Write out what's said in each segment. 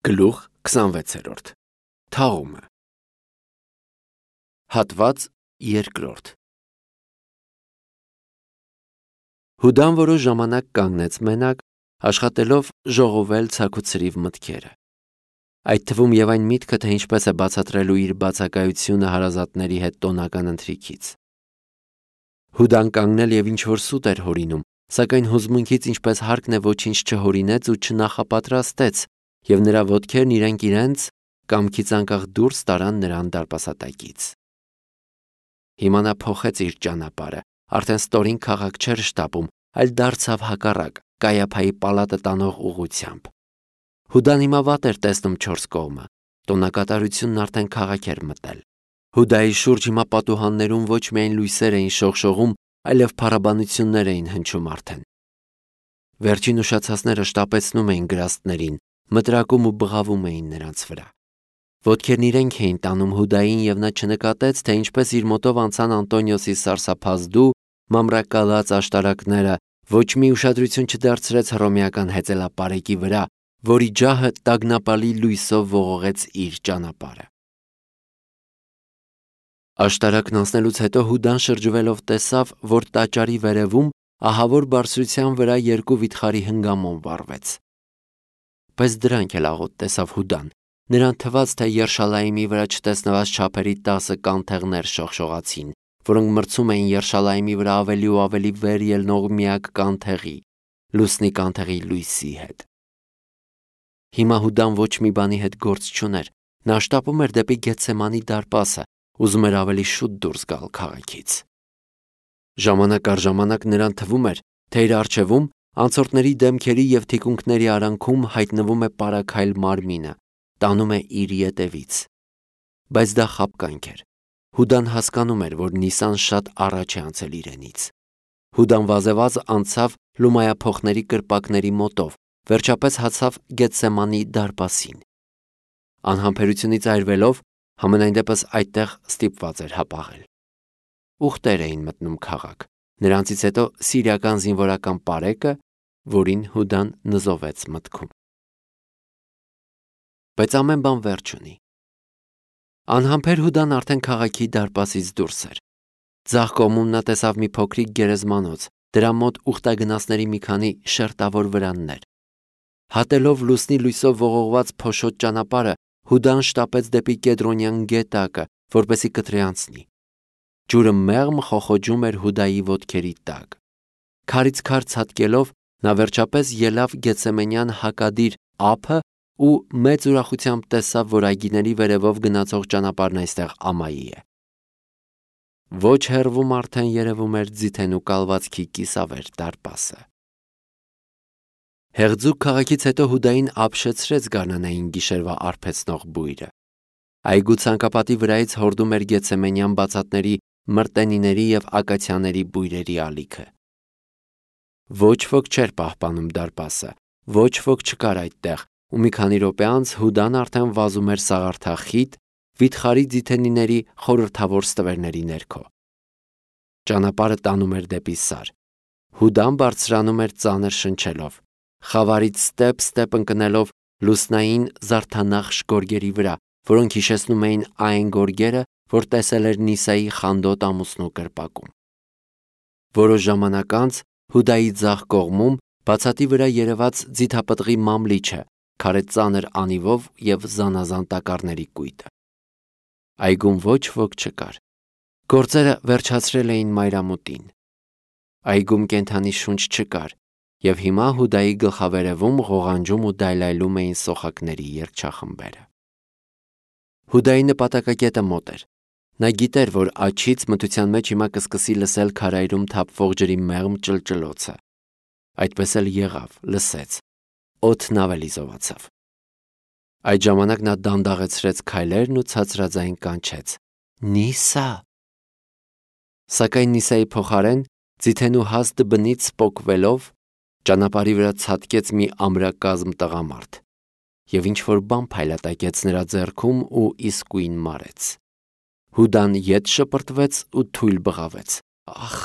Գլուխ 26 Թաղումը Հատված 2 Հուդան որոշ ժամանակ կանգնեց մենակ, աշխատելով ժողովել ցաքուցրիվ մտքերը։ Այդ թվում եւ այն միտքը, թե ինչպես է բացատրելու իր բացակայությունը հարազատների հետ տոնական ընթրիքից։ Հուդան կանգնել եւ ինչ-որ սուտ էր հորինում, սակայն հուզմունքից ինչպես հարկն է ոչինչ չհորինեց ու չնախապատրաստեց, եւ նրա ոտքերն իրենք իրենց կամքից անկախ դուրս տարան նրան դարպասատակից։ Հիմա նա փոխեց իր ճանապարհը, արդեն ստորին քաղաք չէր շտապում, այլ դարձավ հակառակ, Կայափայի պալատը տանող ուղությամբ։ Հուդան հիմա վատ էր տեսնում 4 կողմը, տոնակատարությունն արդեն քաղաք էր մտել։ Հուդայի շուրջ հիմա պատուհաններում ոչ միայն լույսեր էին շողշողում, այլև փառաբանություններ էին հնչում արդեն։ Վերջին ուշացածները շտապեցնում էին գրաստներին, մտրակում ու բղավում էին նրանց վրա։ Ոտքերն իրենք էին տանում Հուդային եւ նա չնկատեց, թե ինչպես իր մոտով անցան Անտոնիոսի սարսափազդու, մամրակալած աշտարակները, ոչ մի ուշադրություն չդարձրեց հռոմեական հեծելապարեկի վրա, որի ջահը տագնապալի լույսով ողողեց իր ճանապարհը։ Աշտարակն անցնելուց հետո Հուդան շրջվելով տեսավ, որ տաճարի վերևում ահավոր բարձրության վրա 2 վիթխարի հնգամոն վառվեց։ Բայց դրանք էլ աղոտ տեսավ Հուդան, նրան թվաց, թե Երշալայիմի վրա չտեսնված չափերի 10 կանթեղներ շողշողացին, որոնք մրցում էին Երշալայիմի վրա ավելի ու ավելի վեր ելնող միակ կանթեղի, լուսնի կանթեղի լույսի հետ։ Հիմա Հուդան ոչ մի բանի հետ գործ չուներ, նա շտապում էր դեպի Գեթսեմանի դարպասը, ուզում էր ավելի շուտ դուրս գալ քաղաքից։ Ժամանակ առ ժամանակ նրան թվում էր, թե իր առջևում անցորդների դեմքերի եւ թիկունքների արանքում հայտնվում է պարաքայլ մարմինը, տանում է իր ետևից։ Բայց դա խաբկանք էր։ Հուդան հասկանում էր, որ Նիսան շատ առաջ է անցել իրենից։ Հուդան վազեվազ անցավ լումայափոխների կրպակների մոտով, վերջապես հասավ Գեթսեմանի դարպասին։ Անհամբերությունից այրվելով, համենայն դեպս այդտեղ ստիպված էր հապաղել։ Ուխտեր էին մտնում քաղաք, նրանցից հետո սիրիական զինվորական պարեկը, որին Հուդան նզովեց մտքում։ Բայց ամեն բան վերջ ունի։ Անհամբեր Հուդան արդեն քաղաքի դարպասից դուրս էր։ Ձախ կողմում նա տեսավ մի փոքրիկ գերեզմանոց, դրա մոտ ուխտագնացների մի քանի շերտավոր վրաններ։ Հատելով լուսնի լույսով ողողված փոշոտ ճանապարհը, Հուդան շտապեց դեպի Կեդրոնյան գետակը, որպեսի կտրի անցնի։ Ջուրը մեղմ խոխոջում էր Հուդայի ոտքերի տակ։ Քարից քար ցատկելով, նա վերջապես ելավ Գեթսեմենյան հակադիր ափը ու մեծ ուրախությամբ տեսավ, որ այգիների վերևով գնացող ճանապարհն այստեղ ամայի է։ Ոչ հեռվում արդեն երևում էր ձիթենու կալվածքի կիսավեր դարպասը։ Հեղձուկ քաղաքից հետո Հուդային ապշեցրեց գարնանային գիշերվա արբեցնող բույրը։ Այգու ցանկապատի վրայից հորդում էր Գեթսեմենյան բացատների, մրտենիների եւ ակացիաների բույրերի ալիքը։ Ոչ ոք չէր պահպանում դարպասը, ոչ ոք չկար այդտեղ, ու մի քանի րոպե անց Հուդան արդեն վազում էր սաղարթախիտ, վիթխարի ձիթենիների խորհրդավոր ստվերների ներքո։ Ճանապարհը տանում էր դեպի Սար։ Հուդան բարձրանում էր ծանր շնչելով, խավարից ստեպ ընկնելով լուսնային զարդանախշ գորգերի վրա, որոնք հիշեցնում էին այն գորգերը, որ տեսել էր Նիսայի խանդոտ ամուսնու կրպակում։ Որոշ ժամանակ անց Հուդայի ձախ կողմում բացատի վրա երևաց ձիթապտղի մամլիչը, քարե ծանր անիվով եւ զանազան տակառների կույտը։ Այգում ոչ ոք չկար։ Գործերը վերջացրել էին մայրամուտին։ Այգում կենդանի շունչ չկար, եւ հիմա Հուդայի գլխավերևում ղողանջում ու դայլայլում էին սոխակների երգչախմբերը։ Հուդայի նպատակակետը մոտ էր։ Նա գիտեր, որ աչից մթության մեջ հիմա կսկսի լսել քարայրում թափվող ջրի մեղմ ճլճլոցը։ Այդպես էլ եղավ, լսեց։ Օդն ավելի զովացավ։ Այդ ժամանակ նա դանդաղեցրեց քայլերն ու ցածրաձայն կանչեց. «Նիսա»։ Սակայն Նիսայի փոխարեն ձիթենու հաստ բնից սպոկվելով ճանապարհի վրա ցատկեց մի ամրակազմ տղամարդ, եւ ինչ-որ բան փայլատակեց նրա ձեռքում ու իսկույն մարեց։ Հուդան ետ շպրտվեց ու թույլ բղավեց. «Ախ»։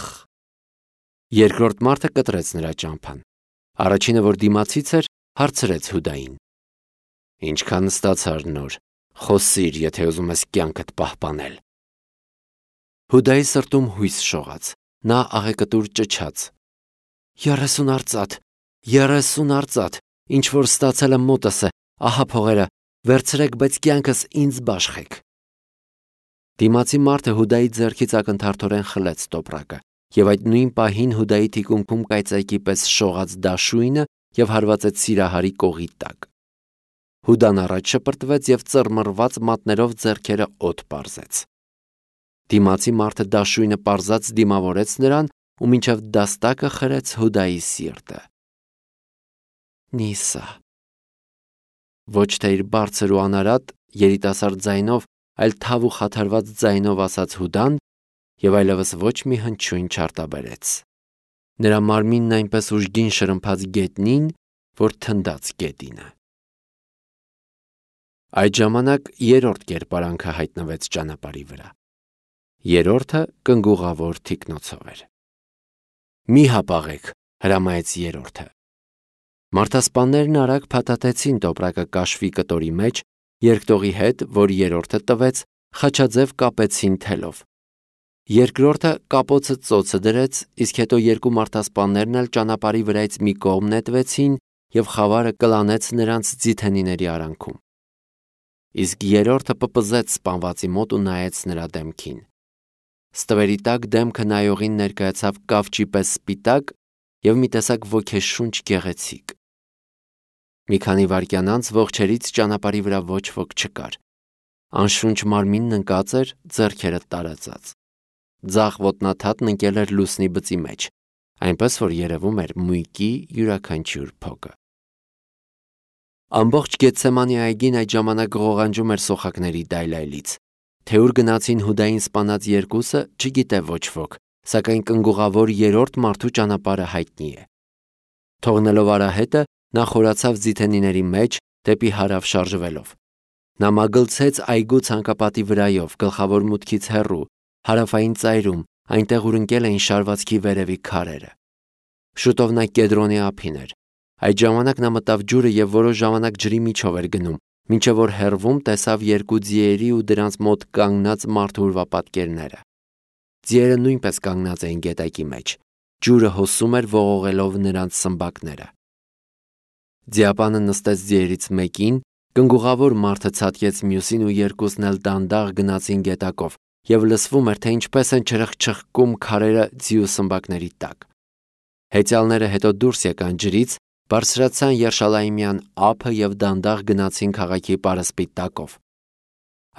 Երկրորդ մարդը կտրեց նրա ճամփան։ Առաջինը, որ դիմացից էր, հարցրեց Հուդային. Ինչքան ստացար նոր, խոսիր, եթե ուզում ես կյանքդ պահպանել։ Հուդայի սրտում հույս շողաց, նա աղեկտուր ճչաց. 30 արծաթ, 30 արծաթ, ինչ որ ստացել եմ մոտս է, ահա փողերը, վերցրեք, բայց կյանքս ինձ բաշխեք։ Դիմացի մարդը Հուդայի ձեռքից ակնթարթորեն խլեց տոպրակը, եւ այդ նույն պահին Հուդայի թիկունքում կայծակի պես շողաց դաշույնը եւ հարվածեց Սիրահարի կողի տակ։ Հուդան առաջ շպրտվեց եւ ծռմռված մատներով ձեռքերը օդ պարզեց։ Դիմացի մարդը դաշույնը պարզած դիմավորեց նրան ու մինչև դաստակը խրեց Հուդայի սիրտը։ Նիսա։ Ոչ թե իր բարձր ու անարատ երիտասարդ ձայնով, այլ թավ ու խաթարված ձայնով ասաց Հուդան եւ այլևս ոչ մի հնչյուն չարտաբերեց։ Նրա մարմինն այնպես ուժգին շրմփաց գետնին, որ թնդաց գետինը։ Այդ ժամանակ երրորդ կերպարանքը հայտնվեց ճանապարհի վրա։ Երրորդը կնգուղավոր թիկնոցով էր։ Մի հապաղեք, հրամայեց երրորդը։ Մարդասպաններն արագ փաթաթեցին տոպրակը կաշվի կտորի մեջ, երկտողի հետ, որ երրորդը տվեց, խաչաձև կապեցին թելով։ Երկրորդը կապոցը ծոցը դրեց, իսկ հետո երկու մարդասպաններն էլ ճանապարհի վրայից մի կողմ նետվեցին եւ խավարը կլանեց նրանց ձիթենիների արանքում։ Իսկ երրորդը պպզեց սպանվածի մոտ ու նայեց նրա դեմքին։ Ստվերի տակ դեմքը նայողին ներկայացավ կավճի պես սպիտակ եւ մի տեսակ ոգեշունչ գեղեցիկ։ Մի քանի վայրկյան անց ողջերից ճանապարհի վրա ոչ ոք չկար։ Անշունչ մարմինն ընկած էր, ձեռքերը տարածած։ Ձախ ոտնաթաթն ընկել էր լուսնի բծի մեջ, այնպես որ երևում էր մույկի յուրաքանչյուր փոկը։ Ամբողջ Գեթսեմանի այգին այդ ժամանակ ղողանջում էր սոխակների դայլայլից։ Թե ուր գնացին Հուդային սպանած երկուսը, չգիտե ոչ ոք, սակայն կնգուղավոր երրորդ մարդու ճանապարհը հայտնի է։ Թողնելով արահետը, նա խորացավ ձիթենիների մեջ, դեպի հարավ շարժվելով։ Նա մագլցեց այգու ցանկապատի վրայով, գլխավոր մուտքից հեռու, հարավային ծայրում, այնտեղ ուր ընկել էին շարվածքի վերևի քարերը։ Շուտով նա Կեդրոնի ափին էր։ Այդ ժամանակ նա մտավ ջուրը եւ որոշ ժամանակ ջրի միջով էր գնում, մինչև որ հեռվում տեսավ երկու ձիերի ու դրանց մոտ կանգնած մարդու ուրվապատկերները։ Ձիերը նույնպես կանգնած էին գետակի մեջ։ Ջուրը հոսում էր ողողելով նրանց սմբակները։ Ձիապանը նստեց ձիերից մեկին, կնգուղավոր մարդը ցատկեց մյուսին ու երկուսն էլ դանդաղ գնացին գետակով եւ լսվում էր, թե ինչպես են չրխչխկում քարերը ձիու սմբակների տակ։ Հեծյալները հետո դուրս եկան ջրից, բարձրացան Երշալայիմյան ափը եւ դանդաղ գնացին քաղաքի պարսպի տակով։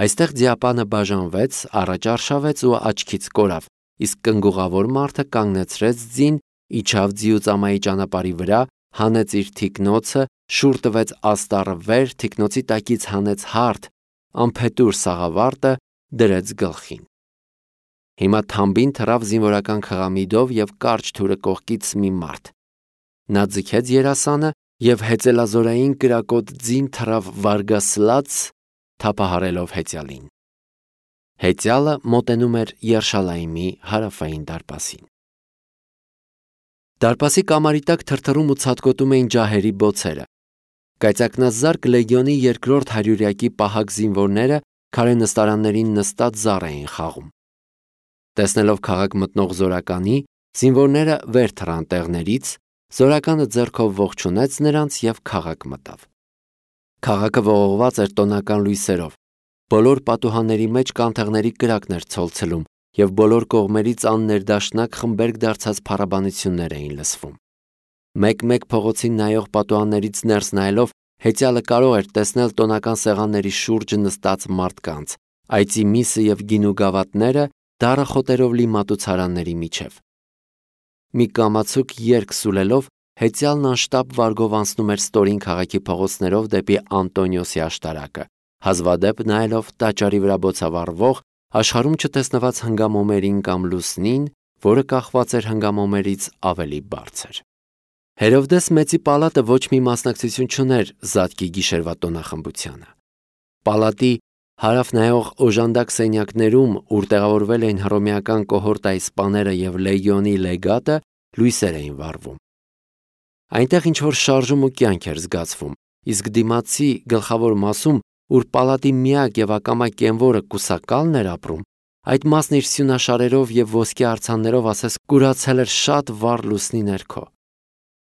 Այստեղ ձիապանը բաժանվեց, առաջ արշավեց ու աչքից կորավ, իսկ կնգուղավոր մարդը կանգնեցրեց ձին, իջավ ձիուծամայի ճանապարհի վրա, հանեց իր թիկնոցը, շուռ տվեց աստառը վեր, թիկնոցի տակից հանեց հարթ, անփետուր սաղավարտը դրեց գլխին։ Հիմա թամբին թռավ զինվորական խղամիդով եւ կարճ թուրը կողքից մի մարդ։ Նա ձգեց երասանը եւ հեծելազորային կրակոտ ձին թռավ վարգասլաց, թափահարելով հեծյալին։ Հեծյալը մոտենում էր Երշալայիմի հարավային դարպասին։ Դարպասի կամարի տակ թրթռում ու ցատկոտում էին ջահերի բոցերը։ Կայծակնազարկ լեգիոնի երկրորդ հարյուրյակի պահակ զինվորները քարե նստարաններին նստած զառ էին խաղում։ Տեսնելով քաղաք մտնող զորականի, զինվորները վեր թռան տեղներից, զորականը ձեռքով ողջունեց նրանց եւ քաղաք մտավ։ Քաղաքը ողողված էր տոնական լույսերով։ Բոլոր պատուհանների մեջ կանթեղների կրակն էր ցոլցելում եւ բոլոր կողմերից աններդաշնակ խմբերգ դարձած փառաբանություններ էին լսվում։ Մեկ-մեկ փողոցին նայող պատուհաններից ներս նայելով հեծյալը կարող էր տեսնել տոնական սեղանների շուրջը նստած մարդկանց, այծի միսը եւ գինու գավաթները դառը խոտերով լի մատուցարանների միջև։ Մի կամացուկ երգ սուլելով հեծյալն անշտապ վարգով անցնում էր ստորին քաղաքի փողոցներով դեպի Անտոնիոսի աշտարակը, հազվադեպ նայելով տաճարի վրա բոցավառվող, աշխարհում չտեսնված հնգամոմերին կամ լուսնին, որը կախված էր հնգամոմերից ավելի բարձր։ Հերովդես մեծի պալատը ոչ մի մասնակցություն չուներ Զատկի գիշերվա տոնախմբությանը։ Պալատի հարավ նայող օժանդակ սենյակներում, ուր տեղավորվել էին հռոմեական կոհորտայի սպաները եւ լեգիոնի լեգատը, լույսեր էին վառվում։ Այնտեղ ինչ որ շարժում ու կյանք էր զգացվում, իսկ դիմացի գլխավոր մասում, ուր պալատի միակ եւ ակամա կենվորը կուսակալն էր ապրում, այդ մասն իր սյունաշարերով եւ ոսկե արձաններով ասես կուրացել էր շատ վառ լուսնի ներքո։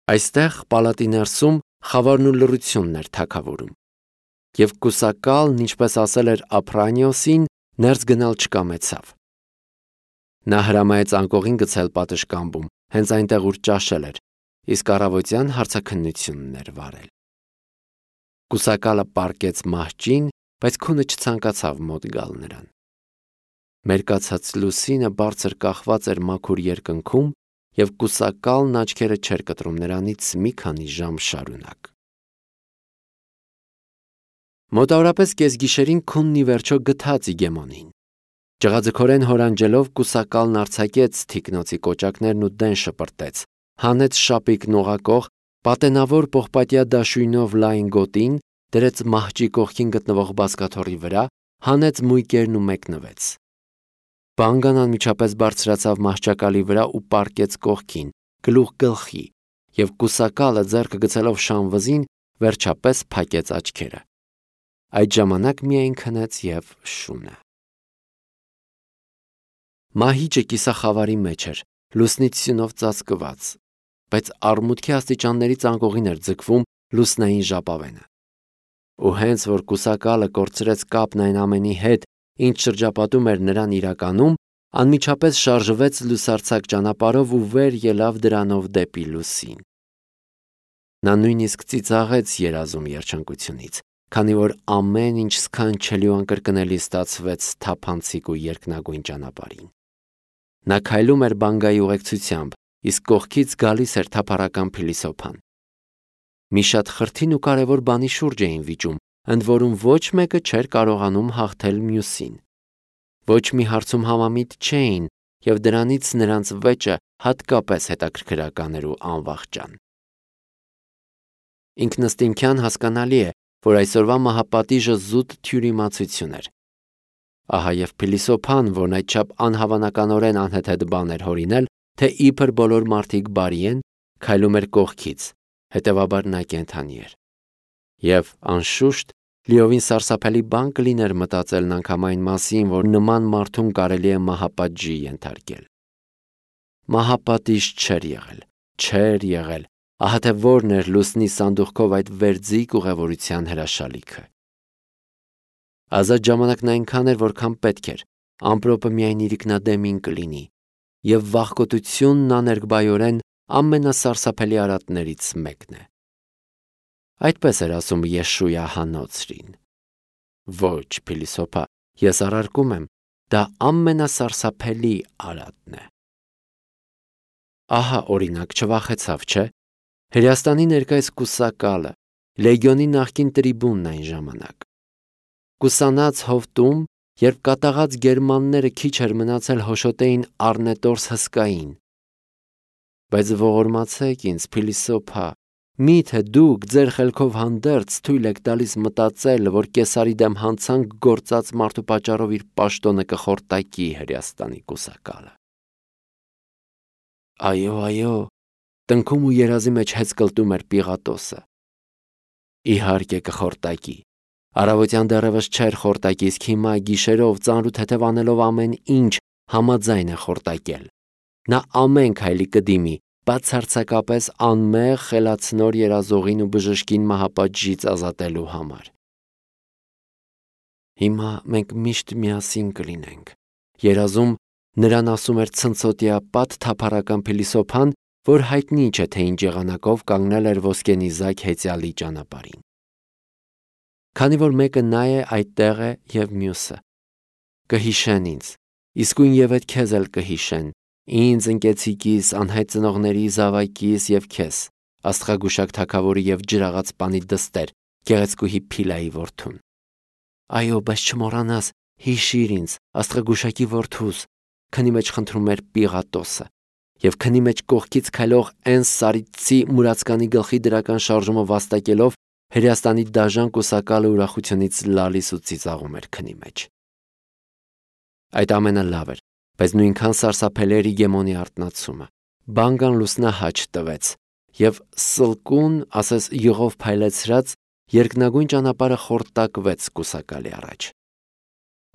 Այստեղ պալատի ներսում խավարն ու լռությունն էր թագավորում։ Եվ կուսակալն, ինչպես ասել էր Ափրանիոսին, ներս գնալ չկամեցավ։ Նա հրամայեց անկողին գցել պատշգամբում, հենց այնտեղ ուր ճաշել էր, իսկ առավոտյան հարցաքննությունն էր վարել։ Կուսակալը պառկեց մահճին, բայց քունը չցանկացավ մոտ գալ նրան։ Մերկացած լուսինը բարձր կախված էր մաքուր երկնքում, եւ կուսակալն աչքերը չէր կտրում նրանից մի քանի ժամ շարունակ։ Մոտավորապես կեսգիշերին քունն ի վերջո գթաց Իգեմոնին։ Ջղաձգորեն հորանջելով կուսակալն արձակեց թիկնոցի կոճակներն ու դեն շպրտեց, հանեց շապիկն ուղակող, պատենավոր պողպատյա դաշույնով լայն գոտին, դրեց մահճի կողքին գտնվող բազկաթոռի վրա, հանեց մույկերն ու մեկնվեց։ Բանգան անմիջապես բարձրացավ մահճակալի վրա ու պառկեց կողքին, գլուխ գլխի, եւ կուսակալը ձեռքը գցելով շանվզին, վերջապես փակեց աչքերը։ Այդ ժամանակ միայն քնեց եւ շունը։ Մահիճը կիսախավարի մեջ էր, լուսնից սյունով ծածկված, բայց արմուտքի աստիճաններից անկողին էր ձգվում լուսնային ժապավենը։ Ու հենց որ կուսակալը կորցրեց կապն այն ամենի հետ, ինչ շրջապատում էր նրան իրականում, անմիջապես շարժվեց լուսարձակ ճանապարհով ու վեր ելավ դրանով դեպի լուսին։ Նա նույնիսկ ծիծաղեց երազում երջանկությունից, քանի որ ամեն ինչ սքանչելի ու անկրկնելի ստացվեց թափանցիկ ու երկնագույն ճանապարհին։ Նա քայլում էր բանգայի ուղեկցությամբ, իսկ կողքից գալիս էր թափառական փիլիսոփան։ Մի շատ խրթին ու կարևոր բանի շուրջ էին վիճում, ընդ որում ոչ մեկը չէր կարողանում հաղթել մյուսին։ Ոչ մի հարցում համամիտ չէին, եւ դրանից նրանց վեճը հատկապես հետաքրքրական էր ու անվախճան։ Ինքնըստինքյան հասկանալի է, որ այսօրվա մահապատիժը զուտ թյուրիմացություն էր։ Ահա եւ փիլիսոփան, որն այդչափ անհավանականորեն անհեթեթ բան էր հորինել, թե իբր բոլոր մարդիկ բարի են, քայլում էր կողքից, հետևաբար նա կենդանի էր։ Եվ անշուշտ լիովին սարսափելի բան կլիներ մտածելն անգամ այն մասին, որ նման մարդուն կարելի է մահապատժի ենթարկել։ Մահապատիժ չէր եղել, ահա թե որն էր լուսնի սանդուղքով այդ վերձիկ ուղևորության հրաշալիքը։ Ազատ ժամանակն այնքան էր, որքան պետք էր, ամպրոպը միայն իրիկնադեմին կլինի, եւ վախկոտությունն աներկբայորեն ամենասարսափելի արատներից մեկն է։ Այդպես էր ասում Յեշույա հանոցրին։ Ոչ, փիլիսոփա, ես առարկում եմ, դա ամենասարսափելի արատն է։ Ահա օրինակ չվախեցավ, չէ՞։ Հրեաստանի ներկայիս կուսակալը, լեգիոնի նախկին տրիբունն այն ժամանակ։ Կուսանած հովտում, երբ կատաղած գերմանները քիչ էր մնացել հոշոտեին Առնետորս հսկային։ Բայց ողորմացեք ինձ, փիլիսոփա, միթե դուք ձեր խելքով հանդերձ թույլ եք տալիս մտածել, որ Կեսարի դեմ հանցանք գործած մարդու պատճառով իր պաշտոնը կխորտակի Հրեաստանի կուսակալը։ Այո, տնքում ու երազի մեջ հեծ կլտում էր Պիղատոսը։ Իհարկե կխորտակի։ Առավոտյան դեռևս չէր խորտակի, իսկ հիմա գիշերով ծանրութ հետև անելով ամեն ինչ համաձայն է խորտակել։ Նա ամեն քայլի կդիմի, բացարձակապես անմեղ խելացնոր երազողին ու բժշկին մահապատժից ազատելու համար։ Հիմա մենք միշտ միասին կլինենք։ Երազում նրան ասում էր ցնցոտիապատ թափառական փիլիսոփան, որ հայտնի չէ թե ինչ եղանակով կանգնել էր ոսկենիզակ հեծյալի ճանապարհին։ Քանի որ մեկը նա է, այդտեղ է եւ մյուսը։ Կհիշեն ինձ, իսկույն եւ այդ քեզ էլ կհիշեն, ինձ ընկեցիկիս, անհայտ ծնողների զավակիս եւ քեզ, աստղագուշակ թագավորի եւ ջրաղաց պանի դստեր, գեղեցկուհի Փիլայի որդուն։ Այո, բայց չմոռանաս, հիշիր ինձ, աստղագուշակի որդուս, քնի մեջ խնդրում էր Պիղատոսը, եւ քնի մեջ կողքից քայլող Էնս Սարիցի մուրացկանի գլխի դրական շարժումը վաստակելով Հրեաստանի դաժան կուսակալը ուրախությունից լալիս ու ծիծաղում էր քնի մեջ։ Այդ ամենը լավ էր, բայց նույնքան սարսափելի էր Իգեմոնի արթնացումը։ Բանգան լուսնահաչ տվեց եւ սլկուն, ասես յուղով փայլեցրած, երկնագույն ճանապարհը խորտակվեց կուսակալի առաջ։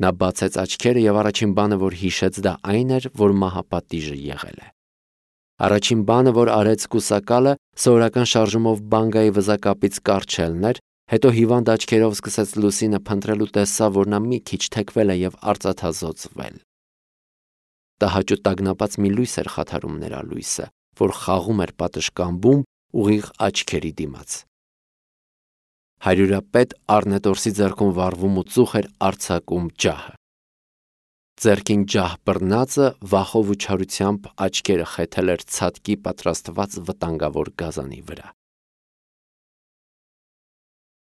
Նա բացեց աչքերը եւ առաջին բանը, որ հիշեց, դա այն էր, որ մահապատիժը եղել է։ Առաջին բանը, որ արեց կուսակալը, սովորական շարժումով բանգայի վզակապից կառչելն էր, հետո հիվանդ աչքերով սկսեց Լուսինը փնտրել ու տեսավ, որ նա մի քիչ թեքվել է եւ արծաթազօծվել։ Տհաճ ու տագնապած մի լույս էր խաթարում նրա լույսը, որ խաղում էր պատշգամբում ուղիղ աչքերի դիմաց։ Հարյուրապետ Առնետորսի ձեռքում վառվում ու ծուխ էր արձակում ջահը։ Ձեռքին ջահ բռնածը վախով ու չարությամբ աչքերը խեթել էր ցատկի պատրաստված վտանգավոր գազանի վրա։